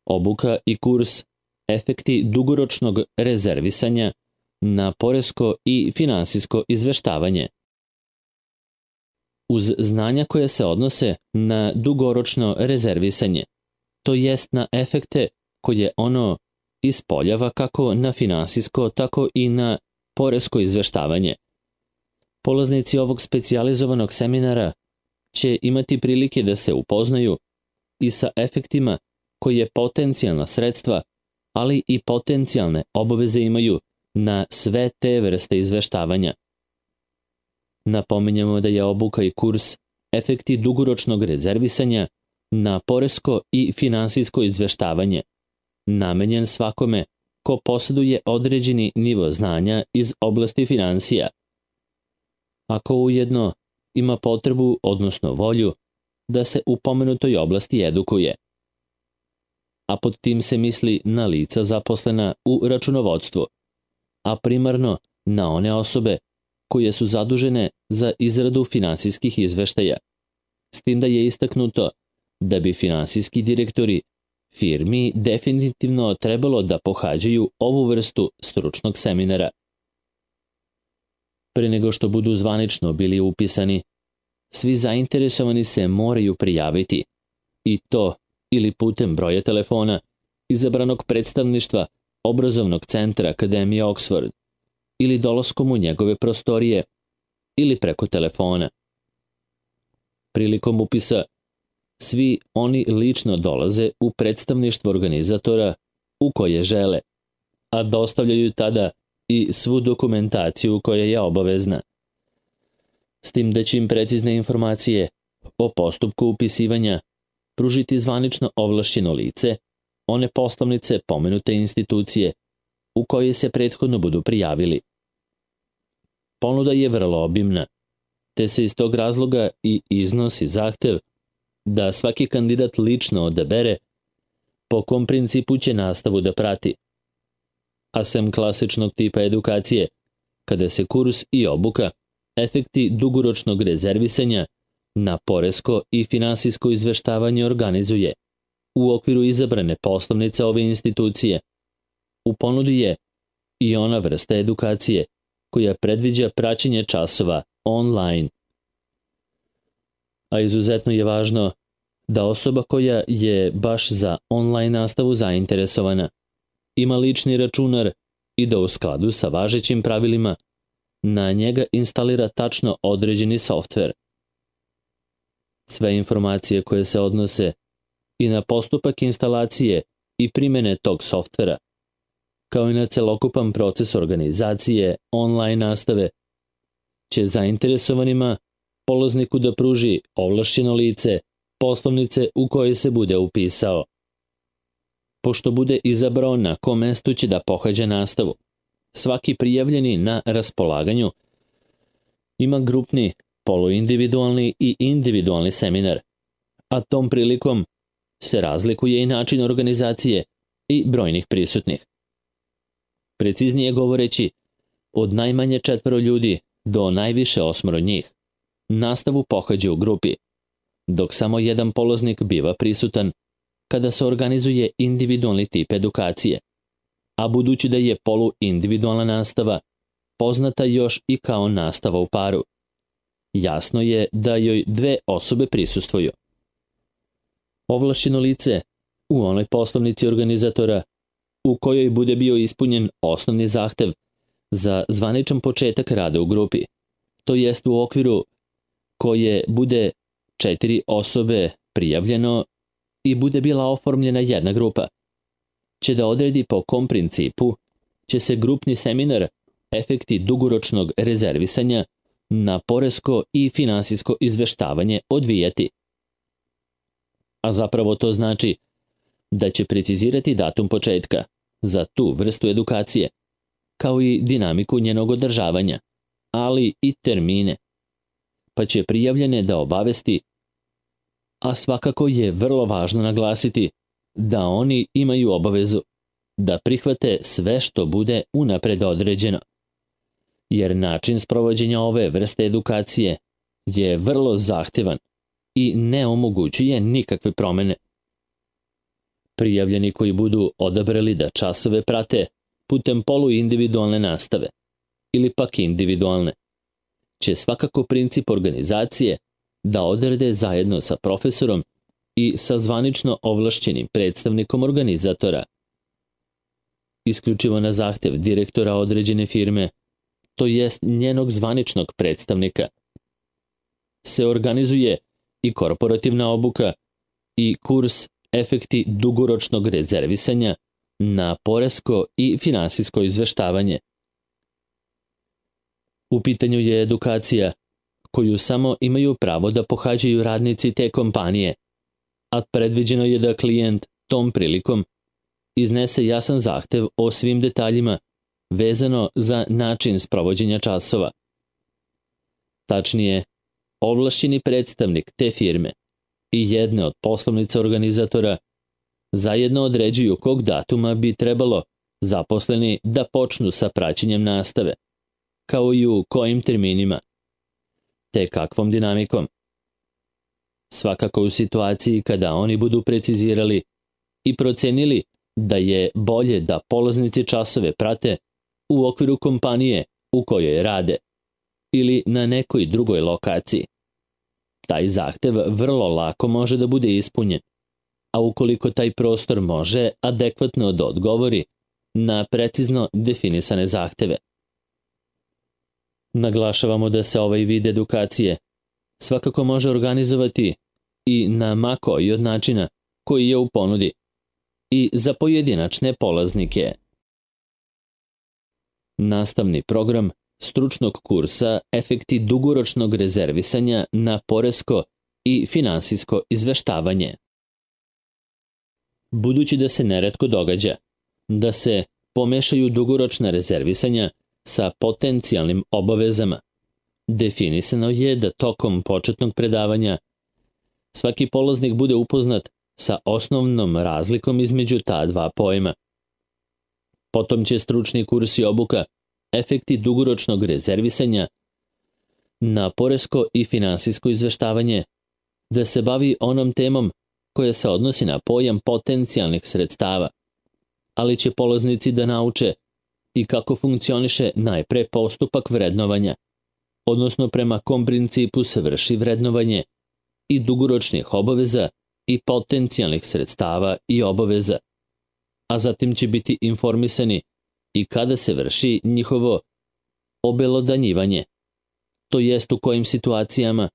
obuka i kurs efekti dugoročnog rezervisanja na poresko i finansijsko izveštavanje. Uz znanja koje se odnose na dugoročno rezervisanje, to jest na efekte koje ono ispoljava kako na finansijsko, tako i na poresko izveštavanje. Polaznici ovog specijalizovanog seminara će imati prilike da se upoznaju i sa efektima koje potencijalna sredstva, ali i potencijalne obaveze imaju na sve te vrste izveštavanja. Napominjamo da je obuka i kurs efekti dugoročnog rezervisanja na poresko i finansijsko izveštavanje namenjen svakome ko posjeduje određeni nivo znanja iz oblasti finansija, ako ujedno ima potrebu, odnosno volju, da se u pomenutoj oblasti edukuje. A pod tim se misli na lica zaposlena u računovodstvu, a primarno na one osobe koje su zadužene za izradu finansijskih izveštaja, s tim da je istaknuto da bi finansijski direktori firmi definitivno trebalo da pohađaju ovu vrstu stručnog seminara. Pre nego što budu zvanično bili upisani, svi zainteresovani se moraju prijaviti, i to ili putem broja telefona izabranog predstavništva obrazovnog centra Akademije Oxford, ili dolaskom u njegove prostorije, ili preko telefona. Prilikom upisa, svi oni lično dolaze u predstavništvo organizatora u koje žele, a dostavljaju tada i svu dokumentaciju koja je obavezna. S tim da će im precizne informacije o postupku upisivanja pružiti zvanično ovlašćeno lice, one poslovnice pomenute institucije u koje se prethodno budu prijavili. Ponuda je vrlo obimna, te se iz tog razloga i iznosi zahtev da svaki kandidat lično odabere po kom principu će nastavu da prati. A sem klasičnog tipa edukacije, kada se kurs i obuka efekti dugoročnog rezervisanja na poresko i finansijsko izveštavanje organizuje u okviru izabrane poslovnice ove institucije. U ponudi je i ona vrsta edukacije koja predviđa praćenje časova online. A izuzetno je važno da osoba koja je baš za online nastavu zainteresovana ima lični računar i da u skladu sa važećim pravilima na njega instalira tačno određeni softver. Sve informacije koje se odnose i na postupak instalacije i primene tog softvera, kao i na celokupan proces organizacije online nastave, će zainteresovanima polazniku da pruži ovlašćeno lice poslovnice u kojoj se bude upisao. Pošto bude izabrao na kom mestu će da pohađa nastavu, svaki prijavljeni na raspolaganju ima grupni, poluindividualni i individualni seminar, a tom prilikom se razlikuje i način organizacije i brojnih prisutnih. Preciznije govoreći, od najmanje 4 ljudi do najviše 8 njih, nastavu pohađa u grupi, dok samo jedan polaznik biva prisutan kada se organizuje individualni tip edukacije, a budući da je poluindividualna nastava poznata još i kao nastava u paru, jasno je da joj 2 osobe prisustvuju. Ovlašćeno lice u onoj poslovnici organizatora u kojoj bude bio ispunjen osnovni zahtev za zvaničan početak rada u grupi, to jest u okviru koje bude 4 osobe prijavljeno i bude bila oformljena jedna grupa, će da odredi po kom principu će se grupni seminar efekti dugoročnog rezervisanja na poresko i finansijsko izveštavanje odvijati. A zapravo to znači da će precizirati datum početka za tu vrstu edukacije, kao i dinamiku njenog održavanja, ali i termine, pa će prijavljene da obavesti, a svakako je vrlo važno naglasiti da oni imaju obavezu da prihvate sve što bude unapred određeno, jer način sprovođenja ove vrste edukacije je vrlo zahtevan i ne omogućuje nikakve promene. Prijavljeni koji budu odabrali da časove prate putem poluindividualne nastave ili pak individualne, će svakako princip organizacije da odrede zajedno sa profesorom i sa zvanično ovlašćenim predstavnikom organizatora. Isključivo na zahtev direktora određene firme, to jest njenog zvaničnog predstavnika, se organizuje i korporativna obuka i kurs efekti dugoročnog rezervisanja na poresko i finansijsko izveštavanje. U pitanju je edukacija koju samo imaju pravo da pohađaju radnici te kompanije, a predviđeno je da klijent tom prilikom iznese jasan zahtev o svim detaljima vezano za način sprovođenja časova. Tačnije, ovlašćeni predstavnik te firme i jedne od poslovnica organizatora zajedno određuju kog datuma bi trebalo zaposleni da počnu sa praćenjem nastave, kao i u kojim terminima, te kakvom dinamikom. Svakako u situaciji kada oni budu precizirali i procenili da je bolje da polaznici časove prate u okviru kompanije u kojoj rade ili na nekoj drugoj lokaciji. Taj zahtev vrlo lako može da bude ispunjen, a ukoliko taj prostor može adekvatno da odgovori na precizno definisane zahteve. Naglašavamo da se ovaj vid edukacije svakako može organizovati i na ma koji od načina koji je u ponudi i za pojedinačne polaznike. Nastavni program stručnog kursa efekti dugoročnog rezervisanja na poresko i finansijsko izveštavanje. Budući da se neretko događa da se pomešaju dugoročna rezervisanja sa potencijalnim obavezama, definisano je da tokom početnog predavanja svaki polaznik bude upoznat sa osnovnom razlikom između ta dva pojma. Potom će stručni kurs i obuka efekti dugoročnog rezervisanja na poresko i finansijsko izveštavanje da se bavi onom temom koja se odnosi na pojam potencijalnih sredstava, ali će polaznici da nauče i kako funkcioniše najpre postupak vrednovanja, odnosno prema kom principu se vrši vrednovanje i dugoročnih obaveza i potencijalnih sredstava i obaveza, a zatim će biti informisani i kada se vrši njihovo obelodanjivanje, to jest u kojim situacijama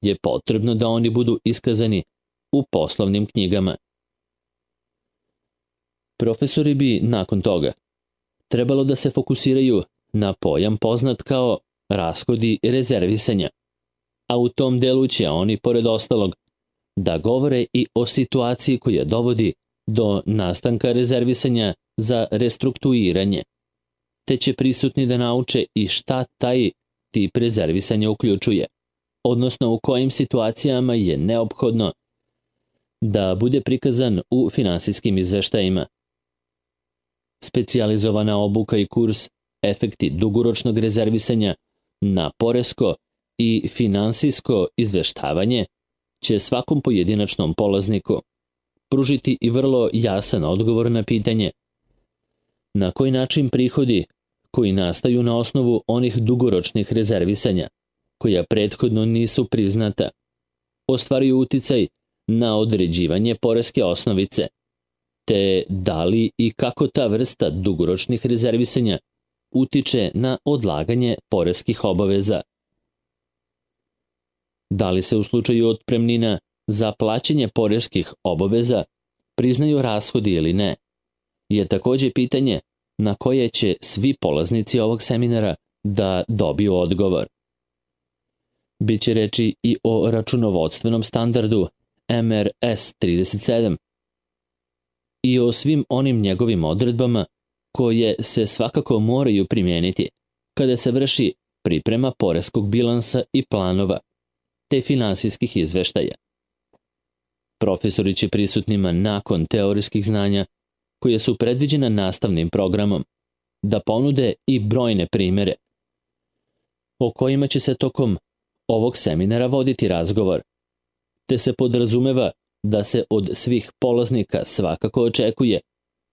je potrebno da oni budu iskazani u poslovnim knjigama. Profesori bi nakon toga trebalo da se fokusiraju na pojam poznat kao rashodi rezervisanja, a u tom delu će oni, pored ostalog, da govore i o situaciji koja dovodi do nastanka rezervisanja za restrukturiranje, te će prisutni da nauče i šta taj tip rezervisanja uključuje, odnosno u kojim situacijama je neophodno da bude prikazan u finansijskim izveštajima. Specijalizovana obuka i kurs efekti dugoročnog rezervisanja na poresko i finansijsko izveštavanje će svakom pojedinačnom polazniku pružiti i vrlo jasan odgovor na pitanje na koji način prihodi koji nastaju na osnovu onih dugoročnih rezervisanja, koja prethodno nisu priznata, ostvaruju uticaj na određivanje poreske osnovice, te da li i kako ta vrsta dugoročnih rezervisanja utiče na odlaganje poreskih obaveza. Da li se u slučaju otpremnina za plaćanje poreskih obaveza priznaju rashodi ili ne, je takođe pitanje na koje će svi polaznici ovog seminara da dobiju odgovor. Biće reči i o računovodstvenom standardu MRS 37 i o svim onim njegovim odredbama koje se svakako moraju primijeniti kada se vrši priprema poreskog bilansa i planova, te finansijskih izveštaja. Profesori će prisutnima nakon teorijskih znanja koje su predviđena nastavnim programom da ponude i brojne primere o kojima će se tokom ovog seminara voditi razgovor, te se podrazumeva da se od svih polaznika svakako očekuje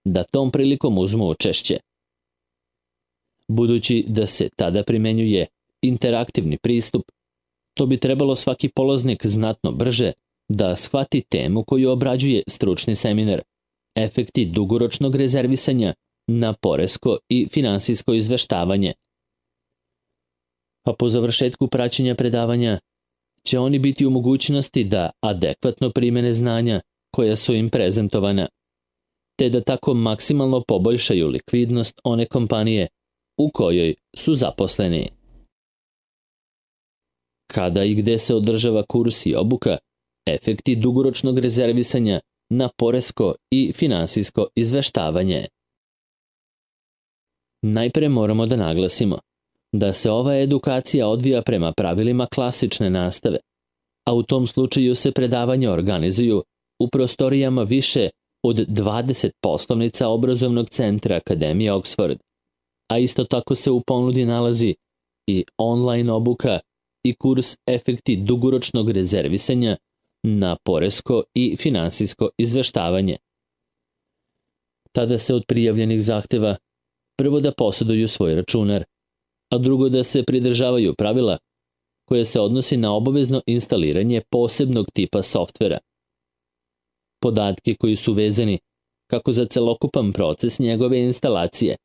da tom prilikom uzmu učešće. Budući da se tada primenjuje interaktivni pristup, to bi trebalo svaki polaznik znatno brže da shvati temu koju obrađuje stručni seminar, efekti dugoročnog rezervisanja na poresko i finansijsko izveštavanje. A po završetku praćenja predavanja će oni biti u mogućnosti da adekvatno primene znanja koja su im prezentovana, te da tako maksimalno poboljšaju likvidnost one kompanije u kojoj su zaposleni. Kada i gde se održava kurs i obuka, efekti dugoročnog rezervisanja na poresko i finansijsko izveštavanje. Najpre moramo da naglasimo da se ova edukacija odvija prema pravilima klasične nastave, a u tom slučaju se predavanja organizuju u prostorijama više od 20 poslovnica obrazovnog centra Akademije Oxford, a isto tako se u ponudi nalazi i online obuka i kurs efekti dugoročnog rezervisanja na poresko i finansijsko izveštavanje. Tada se od prijavljenih zahteva prvo da posjeduju svoj računar, a drugo da se pridržavaju pravila koje se odnosi na obavezno instaliranje posebnog tipa softvera. Podatke koji su vezani kako za celokupan proces njegove instalacije,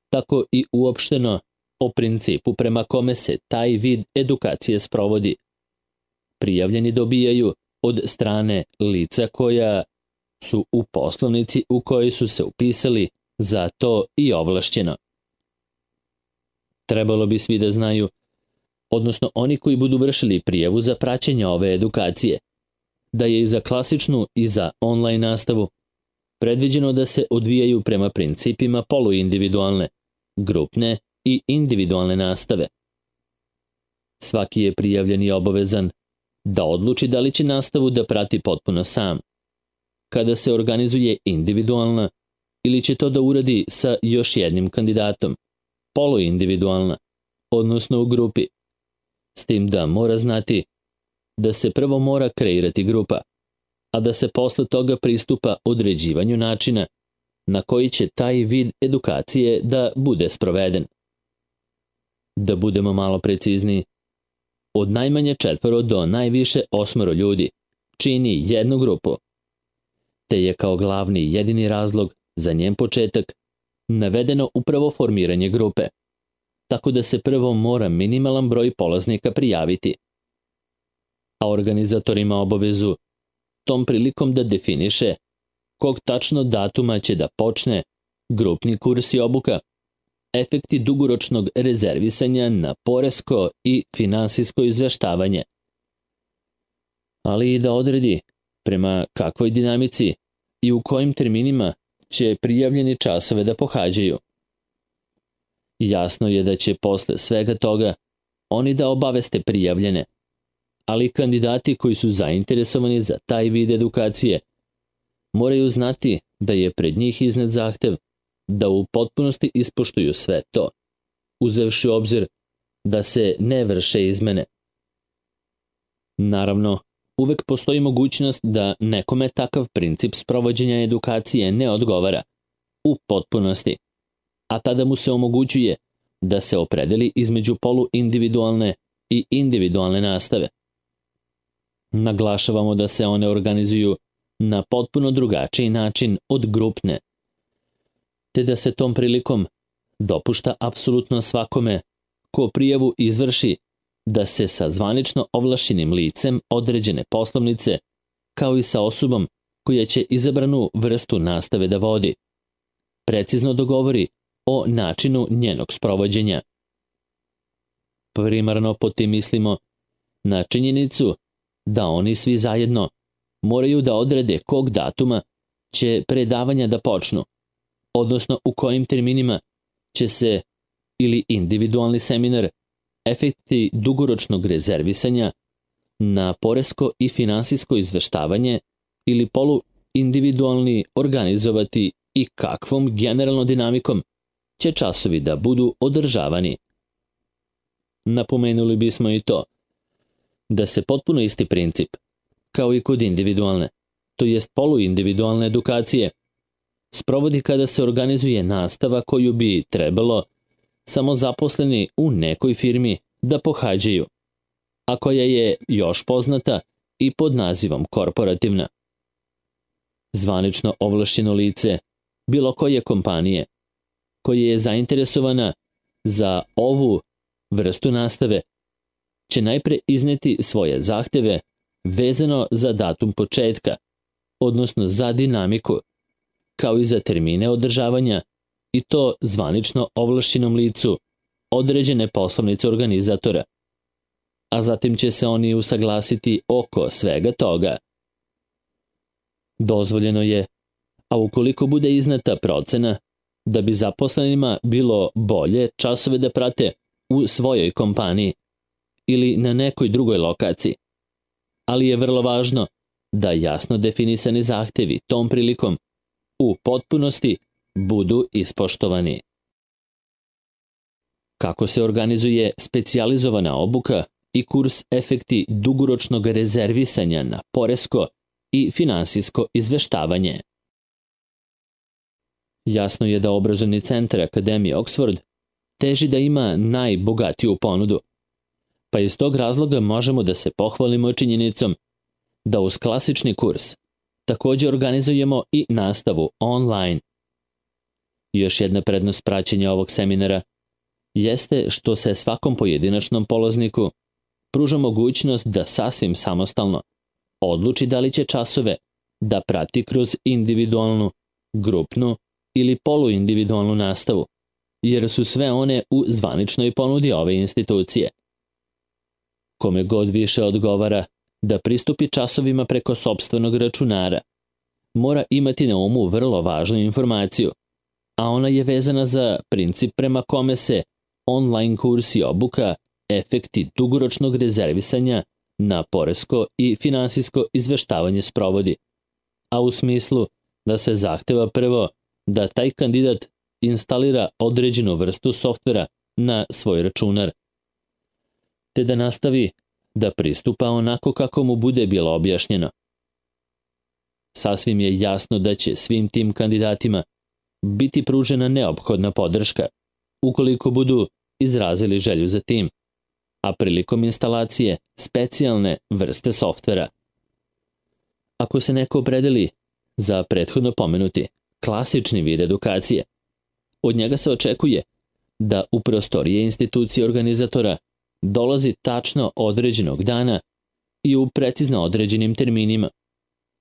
tako i uopšteno o principu prema kome se taj vid edukacije sprovodi, prijavljeni dobijaju od strane lica koja su u poslovnici u kojoj su se upisali za to i ovlašćeno. Trebalo bi svi da znaju, odnosno oni koji budu vršili prijavu za praćenje ove edukacije, da je i za klasičnu i za online nastavu predviđeno da se odvijaju prema principima poluindividualne, grupne i individualne nastave. Svaki je prijavljeni obavezan da odluči da li će nastavu da prati potpuno sam, kada se organizuje individualna, ili će to da uradi sa još jednim kandidatom, poluindividualna, odnosno u grupi, s tim da mora znati da se prvo mora kreirati grupa, a da se posle toga pristupa određivanju načina na koji će taj vid edukacije da bude sproveden. Da budemo malo precizniji, od najmanje 4 do najviše 8 ljudi čini jednu grupu, te je kao glavni i jedini razlog za njen početak navedeno upravo formiranje grupe, tako da se prvo mora minimalan broj polaznika prijaviti, a organizator ima obavezu tom prilikom da definiše kog tačno datuma će da počne grupni kurs i obuka, efekti dugoročnog rezervisanja na poresko i finansijsko izveštavanje, ali i da odredi prema kakvoj dinamici i u kojim terminima će prijavljeni časove da pohađaju. Jasno je da će posle svega toga oni da obaveste prijavljene, ali kandidati koji su zainteresovani za taj vid edukacije moraju znati da je pred njih iznet zahtev da u potpunosti ispoštuju sve to, uzevši u obzir da se ne vrše izmene. Naravno, uvek postoji mogućnost da nekome takav princip sprovođenja edukacije ne odgovara u potpunosti, a tada mu se omogućuje da se opredeli između poluindividualne i individualne nastave. Naglašavamo da se one organizuju na potpuno drugačiji način od grupne, te da se tom prilikom dopušta apsolutno svakome ko prijavu izvrši da se sa zvanično ovlašćenim licem određene poslovnice, kao i sa osobom koja će izabranu vrstu nastave da vodi, precizno dogovori o načinu njenog sprovođenja. Primarno pod tim mislimo na činjenicu da oni svi zajedno moraju da odrede kog datuma će predavanja da počnu, odnosno u kojim terminima će se ili individualni seminar, efekti dugoročnog rezervisanja na poresko i finansijsko izveštavanje ili poluindividualni organizovati i kakvom generalnom dinamikom će časovi da budu održavani. Napomenuli bismo i to da se potpuno isti princip, kao i kod individualne, to jest poluindividualne edukacije, sprovodi kada se organizuje nastava koju bi trebalo samo zaposleni u nekoj firmi da pohađaju, a koja je još poznata i pod nazivom korporativna. Zvanično ovlašćeno lice bilo koje kompanije koja je zainteresovana za ovu vrstu nastave će najpre izneti svoje zahteve vezano za datum početka, odnosno za dinamiku, kao i za termine održavanja, i to zvanično ovlašćenom licu određene poslovnice organizatora, a zatim će se oni usaglasiti oko svega toga. Dozvoljeno je, a ukoliko bude iznata procena, da bi zaposlenima bilo bolje časove da prate u svojoj kompaniji ili na nekoj drugoj lokaciji, ali je vrlo važno da jasno definisani zahtevi tom prilikom u potpunosti budu ispoštovani. Kako se organizuje specijalizovana obuka i kurs efekti dugoročnog rezervisanja na poresko i finansijsko izveštavanje? Jasno je da obrazovni centar Akademije Oxford teži da ima najbogatiju ponudu, pa iz tog razloga možemo da se pohvalimo činjenicom da uz klasični kurs također organizujemo i nastavu online. Još jedna prednost praćenja ovog seminara jeste što se svakom pojedinačnom polazniku pruža mogućnost da sasvim samostalno odluči da li će časove da prati kroz individualnu, grupnu ili poluindividualnu nastavu, jer su sve one u zvaničnoj ponudi ove institucije. Kome god više odgovara da pristupi časovima preko sopstvenog računara, mora imati na umu vrlo važnu informaciju, a ona je vezana za princip prema kome se online kurs i obuka efekti dugoročnog rezervisanja na poresko i finansijsko izveštavanje sprovodi, a u smislu da se zahteva prvo da taj kandidat instalira određenu vrstu softvera na svoj računar, te da nastavi da pristupa onako kako mu bude bilo objašnjeno. Sasvim je jasno da će svim tim kandidatima biti pružena neophodna podrška, ukoliko budu izrazili želju za tim, a prilikom instalacije specijalne vrste softvera. Ako se neko opredeli za prethodno pomenuti klasični vid edukacije, od njega se očekuje da u prostorije institucije organizatora dolazi tačno određenog dana i u precizno određenim terminima,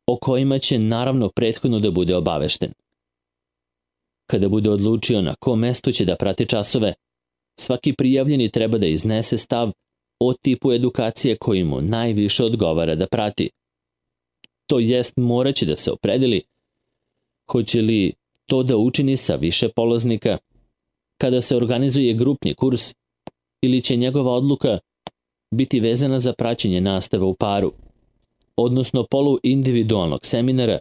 o kojima će naravno prethodno da bude obavešten. Kada bude odlučio na kom mestu će da prati časove, svaki prijavljeni treba da iznese stav o tipu edukacije koji mu najviše odgovara da prati. To jest, moraće da se opredeli hoće li to da učini sa više polaznika kada se organizuje grupni kurs ili će njegova odluka biti vezana za praćenje nastave u paru, odnosno poluindividualnog seminara,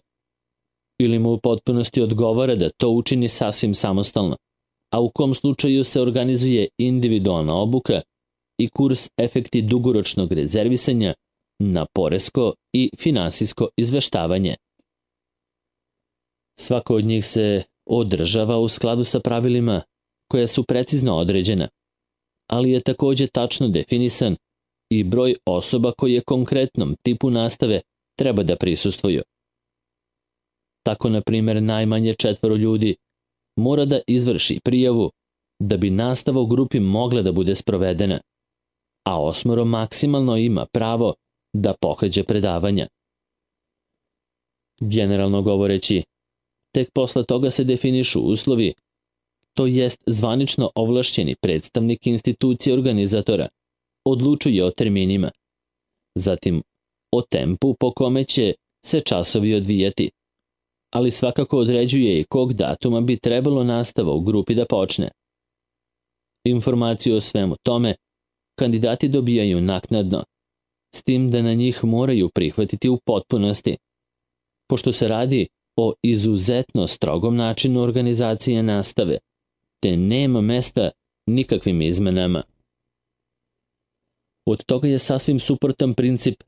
ili mu u potpunosti odgovara da to učini sasvim samostalno, a u kom slučaju se organizuje individualna obuka i kurs efekti dugoročnog rezervisanja na poresko i finansijsko izveštavanje. Svako od njih se održava u skladu sa pravilima koja su precizno određena, ali je također tačno definisan i broj osoba koje konkretnom tipu nastave treba da prisustvuju. Tako, na primjer, najmanje 4 ljudi mora da izvrši prijavu da bi nastava u grupi mogla da bude sprovedena, a 8 maksimalno ima pravo da pohađa predavanja. Generalno govoreći, tek posle toga se definišu uslovi, to jest zvanično ovlašćeni predstavnik institucije organizatora odlučuje o terminima, zatim o tempu po kome će se časovi odvijati, ali svakako određuje i kog datuma bi trebalo nastava u grupi da počne. Informaciju o svemu tome kandidati dobijaju naknadno, s tim da na njih moraju prihvatiti u potpunosti, pošto se radi o izuzetno strogom načinu organizacije nastave, te nema mesta nikakvim izmenama. Od toga je sasvim suprotan princip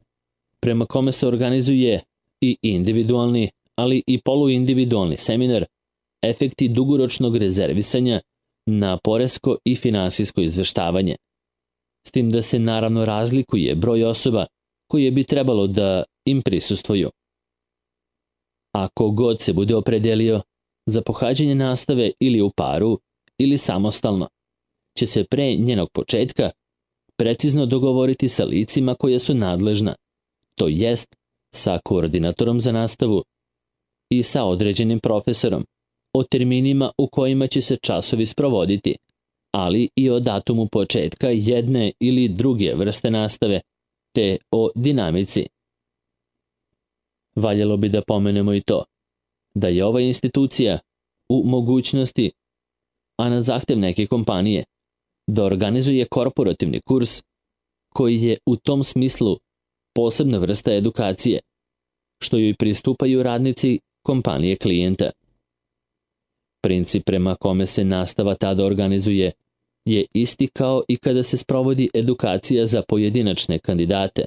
prema kome se organizuje i individualni, ali i poluindividualni seminar, efekti dugoročnog rezervisanja na poresko i finansijsko izveštavanje. S tim da se naravno razlikuje broj osoba koje bi trebalo da im prisustvuju. Ako god se bude opredelio za pohađanje nastave ili u paru ili samostalno, će se pre njenog početka precizno dogovoriti sa licima koja su nadležna, to jest sa koordinatorom za nastavu i sa određenim profesorom, o terminima u kojima će se časovi sprovoditi, ali i o datumu početka jedne ili druge vrste nastave, te o dinamici. Valjalo bi da pomenemo i to, da je ova institucija u mogućnosti, a na zahtev neke kompanije, da organizuje korporativni kurs koji je u tom smislu posebna vrsta edukacije, što joj pristupaju radnici kompanije klijenta. Princip prema kome se nastava tada organizuje je isti kao i kada se sprovodi edukacija za pojedinačne kandidate,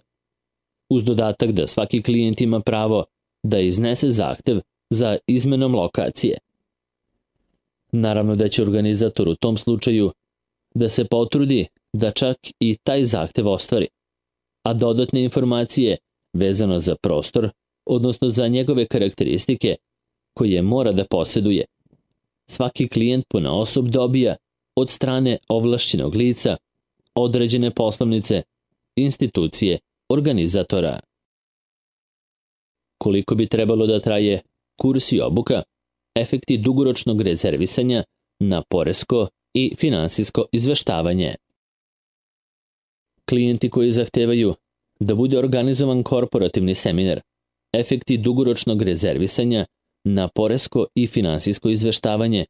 uz dodatak da svaki klijent ima pravo da iznese zahtev za izmenom lokacije. Naravno da će organizator u tom slučaju da se potrudi da čak i taj zahtev ostvari, a dodatne informacije vezano za prostor, odnosno za njegove karakteristike koje mora da posjeduje, svaki klijent ponaosob dobija od strane ovlašćenog lica, određene poslovnice, institucije, organizatora. Koliko bi trebalo da traje kurs i obuka, efekti dugoročnog rezervisanja na poresko i finansijsko izveštavanje. Klijenti koji zahtevaju da bude organizovan korporativni seminar, efekti dugoročnog rezervisanja na poresko i finansijsko izveštavanje,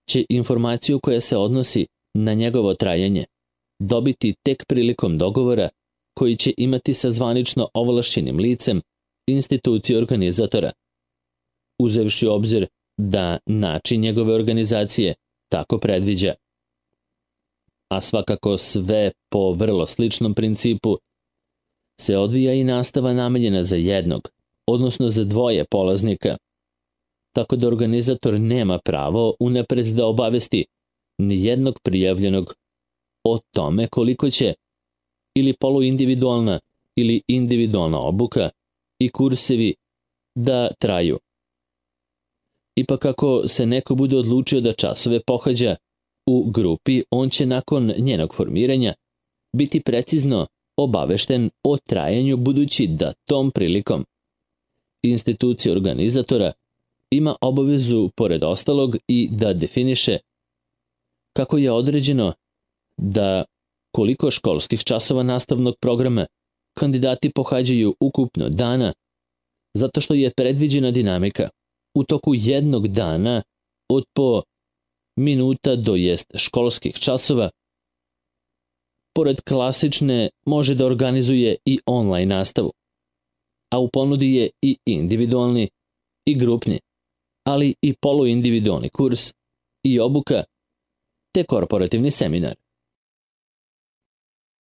će informaciju koja se odnosi na njegovo trajanje dobiti tek prilikom dogovora koji će imati sa zvanično ovlašćenim licem institucije organizatora, uzevši u obzir da način njegove organizacije tako predviđa. A svakako sve po vrlo sličnom principu se odvija i nastava namenjena za jednog, odnosno za dvoje polaznika, tako da organizator nema pravo unapred da obavesti ni jednog prijavljenog o tome koliko će ili poluindividualna ili individualna obuka i kursevi da traju. Ipak ako se neko bude odlučio da časove pohađa u grupi, on će nakon njenog formiranja biti precizno obavešten o trajanju, budući da tom prilikom institucija organizatora ima obavezu, pored ostalog, i da definiše kako je određeno da koliko školskih časova nastavnog programa kandidati pohađaju ukupno dana, zato što je predviđena dinamika u toku jednog dana od po minuta do jest školskih časova. Pored klasične može da organizuje i online nastavu, a u ponudi je i individualni i grupni, ali i poluindividualni kurs i obuka, te korporativni seminar.